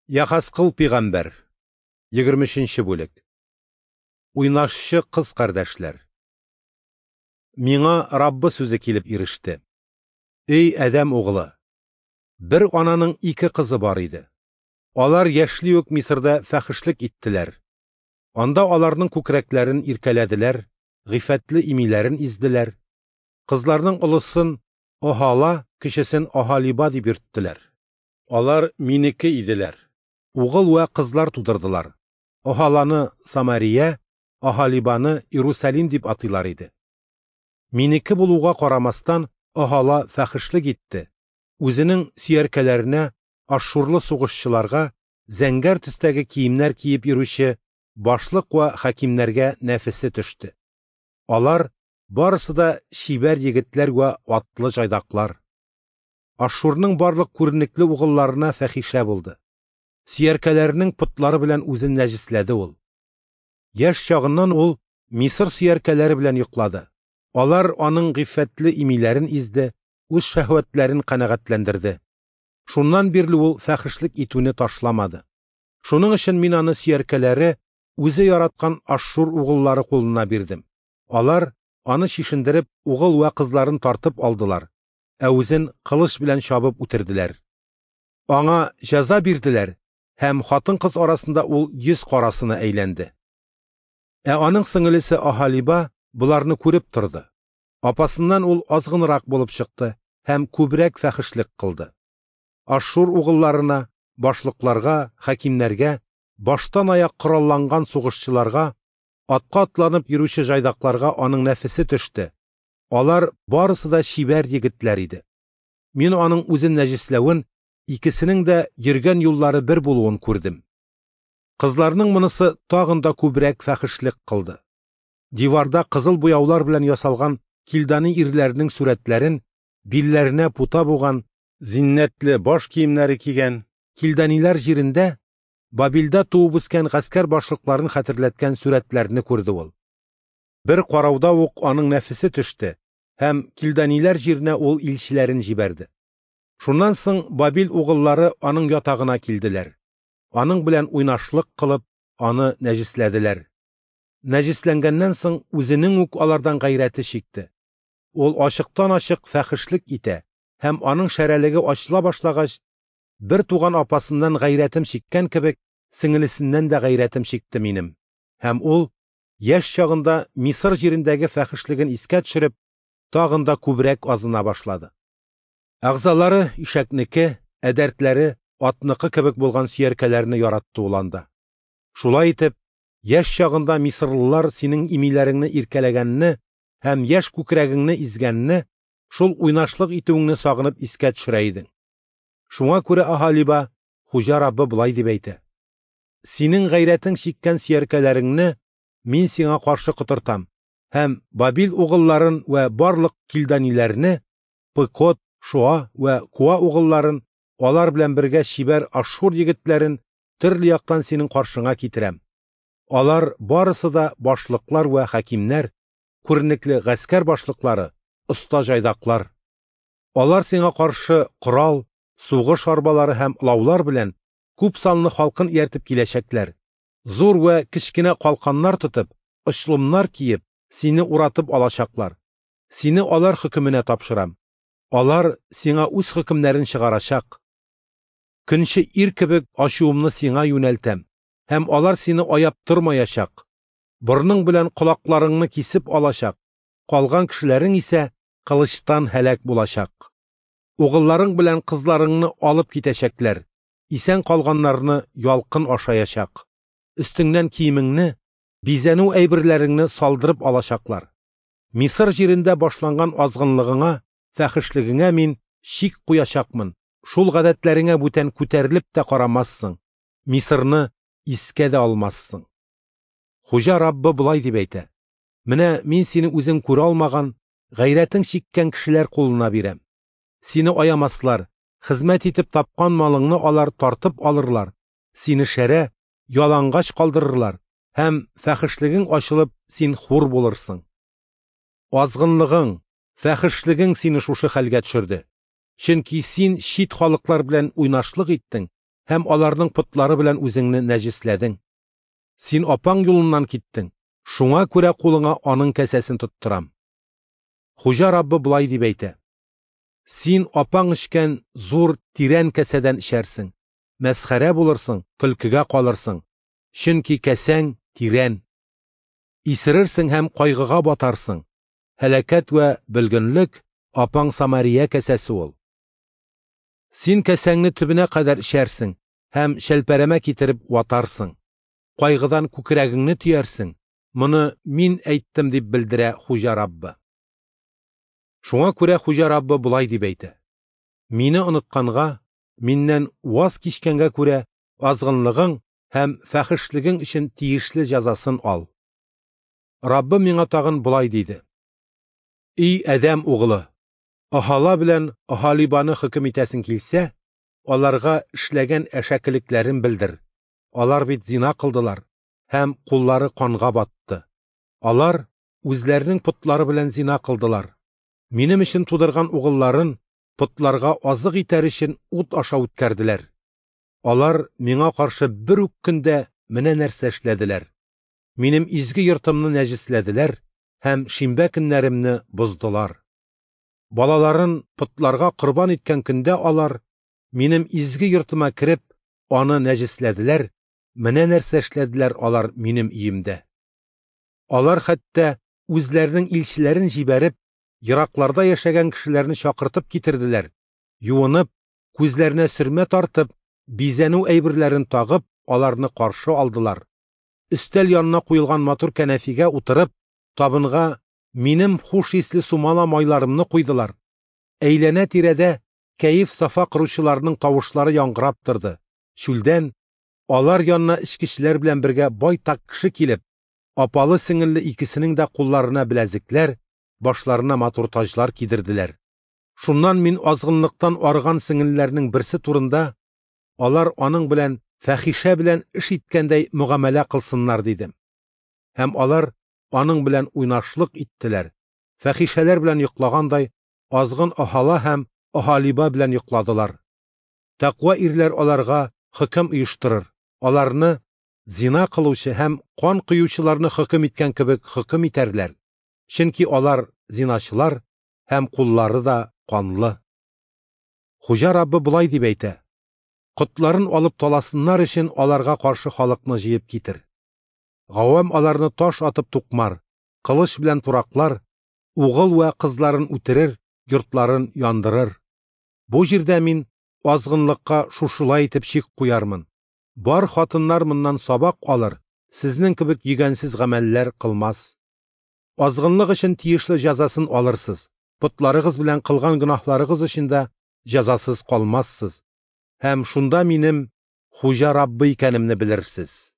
Яхаскыл пигамбәр, 23 бүлек. Уйнашчы кыз кардәшләр. Миңа Раббы сүзе килеп иреште. Эй, Адәм углы! Бер ананың ике кызы бар иде. Алар яшьли үк Мисырда фәхешлек иттеләр. Анда аларның күкрәкләрен иркәләделәр, гыйффәтле имиләрен изделәр. Кызларның олысын Оһала, кечесен Оһалиба дип йөрттеләр. Алар минеке иделәр. Угыл вә кызлар тудырдылар. Оһаланы Самария, Оһалибаны Иерусалим дип атыйлар иде. Минеке булуга карамастан, Оһала фәхешлек итте. Үзенең сөяркәләренә, ашшурлы сугышчыларга, зәңгәр төстәге киемнәр киеп йөрүче башлык вә хакимнәргә нәфесе төште. Алар барысы да чибәр егетләр вә атлы җайдаклар. Ашшурның барлык күренекле угылларына фәхишә булды. Сөяркәләренең потлары белән үзен нәҗесләде ул. Яшь чагыннан ул Мисыр сөяркәләре белән йоклады. Алар аның гыйффәтле имиләрен изде, үз шәһвәтләрен канәгатьләндерде. Шуннан бирле ул фәхешлек итүне ташламады. Шуның өчен мин аны сөяркәләре үзе яраткан Ашшур угыллары кулына бирдем. Алар аны чишендереп, угыл вә кызларын тартып алдылар, ә үзен кылыч белән чабып үтерделәр. Аңа җәза бирделәр һәм хатын-кыз арасында ул йөз карасына әйләнде. Ә аның сеңелесе Аһалиба боларны күреп торды. Апасыннан ул азгынрак булып чыкты һәм күбрәк фәхешлек кылды. Ашшур угылларына, башлыкларга, хакимнәргә, баштан аяк коралланган сугышчыларга, атка атланып йөрүче җайдакларга аның нәфесе төште. Алар барысы да чибәр егетләр иде. Мин аның үзен нәҗесләвен, икесенең дә йөргән юллары бер булуын күрдем. Кызларның монысы тагын да күбрәк фәхешлек кылды. Диварда кызыл буяулар белән ясалган килдани ирләренең сурәтләрен, билләренә пута буган, зиннәтле баш киемнәре кигән килданиләр җирендә Бабилдә туып үскән гаскәр башлыкларын хәтерләткән сурәтләрне күрде ул. Бер карауда ук аның нәфесе төште һәм килданиләр җиренә ул илчеләрен җибәрде. Шуннан соң Бабил угыллары аның ятагына килделәр. Аның белән уйнашлык кылып, аны нәҗесләделәр. Нәҗесләнгәннән соң үзенең үк алардан гайрәте чикте. Ул ачыктан-ачык фәхешлек итә һәм аның шәрәлеге ачыла башлагач, бер туган апасыннан гайрәтем чиккән кебек, сеңелесеннән дә гайрәтем чикте минем. Һәм ул яшь чагында Мисыр җирендәге фәхешлеген искә төшереп, тагын да күбрәк азына башлады. Әгъзалары ишәкнеке, ә дәртләре атныкы кебек булган сөяркәләрне яратты ул анда. Шулай итеп, яшь чагында мисырлылар синең имиләреңне иркәләгәнне һәм яшь күкрәгеңне изгәнне, шул уйнашлык итүеңне сагынып искә төшерә идең. Шуңа күрә Аһалиба, Хуҗа Раббы болай дип әйтә: Синең гайрәтең чиккән сөяркәләреңне мин сиңа каршы котыртам һәм Бабил угылларын вә барлык килданиләрне, Пыкот, Шуа вә Куа угылларын, алар белән бергә чибәр Ашшур егетләрен төрле яктан синең каршыңа китерәм. Алар барысы да башлыклар вә хакимнәр, күренекле гаскәр башлыклары, оста җайдаклар. Алар сиңа каршы корал, сугыш арбалары һәм лаулар белән күп санлы халкын ияртеп киләчәкләр. Зур вә кечкенә калканнар тотып, очлымнар киеп, сине уратып алачаклар. Сине алар хөкеменә тапшырам. Алар сиңа үз хөкемнәрен чыгарачак. Көнче ир кебек ачуымны сиңа юнәлтәм, һәм алар сине аяп тормаячак. Борның белән колакларыңны кисеп алачак, калган кешеләрең исә кылычтан һәлак булачак. Угылларың белән кызларыңны алып китәчәкләр, исән калганнарны ялкын ашаячак. Өстеңнән киемеңне, бизәнү әйберләреңне салдырып алачаклар. Мисыр җирендә башланган азгынлыгыңа, фәхешлегеңә мин чик куячакмын. Шул гадәтләреңә бүтән күтәрелеп тә карамассың. Мисырны искә дә алмассың. Хуҗа Раббы болай дип әйтә: Менә мин сине үзең күрә алмаган, гайрәтең чиккән кешеләр кулына бирәм. Сине аямаслар, хезмәт итеп тапкан малыңны алар тартып алырлар, сине шәрә, ялангач калдырырлар һәм фәхешлегең ачылып син хур булырсың. Азгынлыгың, фәхешлегең сине шушы хәлгә төшерде. Чөнки син чит халыклар белән уйнашлык иттең һәм аларның потлары белән үзеңне нәҗесләдең. Син апаң юлыннан киттең, шуңа күрә кулыңа аның кәсәсен тоттырам. Хуҗа Раббы болай дип әйтә: Син апаң эчкән зур тирән кәсәдән эчәрсең, мәсхәрә булырсың, көлкегә калырсың, чөнки кәсәң тирән. Исерерсең һәм кайгыга батарсың. Һәлакәт вә бөлгенлек апаң Самария кәсәсе ул. Син кәсәңне төбенә кадәр эчәрсең һәм шәлпәрәмә китереп ватарсың. Кайгыдан күкрәгеңне төярсең. Моны мин әйттем дип белдерә Хуҗа Раббы. Шуңа күрә Хуҗа Раббы болай дип әйтә: Мине онытканга, миннән ваз кичкәнгә күрә азгынлыгың һәм фәхешлегең өчен тиешле җәзасын ал. Раббы миңа тагын болай диде: Ий Адәм угылы, Аһала белән Аһалибаны хөкем итәсең килсә, аларга эшләгән әшәкелекләрен белдер. Алар бит зина кылдылар һәм куллары канга батты. Алар үзләренең потлары белән зина кылдылар. Минем өчен тудырган угылларын потларга азык итәр өчен ут аша үткәрделәр. Алар миңа каршы бер үк көндә менә нәрсә эшләделәр. Минем изге йортымны нәҗесләделәр һәм шимбә көннәремне боздылар. Балаларын потларга корбан иткән көндә алар минем изге йортыма кереп, аны нәҗесләделәр. Менә нәрсә эшләделәр алар минем өемдә. Алар хәтта үзләренең илчеләрен җибәреп, еракларда яшәгән кешеләрне чакыртып китерделәр. Юынып, күзләренә сөрмә тартып, бизәнү әйберләрен тагып, аларны каршы алдылар. Өстәл янына куелган матур кәнәфигә утырып, табынга минем хуш исле сумала майларымны куйдылар. Әйләнә-тирәдә кәеф-сафа кыручыларның тавышлары яңгырап торды. Чүлдән алар янына эчкечеләр белән бергә байтак кеше килеп, апалы-сеңелле икесенең дә кулларына беләзекләр, башларына матур таҗлар кидерделәр. Шуннан мин азгынлыктан арыган сеңелләрнең берсе турында, алар аның белән фәхишә белән эш иткәндәй мөгамәлә кылсыннар дидем. Һәм алар аның белән уйнашлык иттеләр. Фәхишәләр белән йоклагандай, азгын Аһала һәм Аһалиба белән йокладылар. Тәкъва ирләр аларга хөкем оештырыр. Аларны зина кылучы һәм кан коючыларны хөкем иткән кебек хөкем итәрләр. Чөнки алар зиначылар һәм куллары да канлы. Хуҗа Раббы болай дип әйтә: Котларын алып таласыннар өчен аларга каршы халыкны җыеп китер. Гавам аларны таш атып тукмар, кылыч белән тураклар, угыл вә кызларын үтерер, йортларын яндырыр. Бу җирдә мин азгынлыкка шушылай итеп чик куярмын. Бар хатыннар моннан сабак алыр, сезнең кебек йөгәнсез гамәлләр кылмас. Азгынлык өчен тиешле җәзасын алырсыз. Потларыгыз белән кылган гөнаһларыгыз өчен дә җәзасыз калмассыз. Һәм шунда минем Хуҗа Раббы икәнемне белерсез.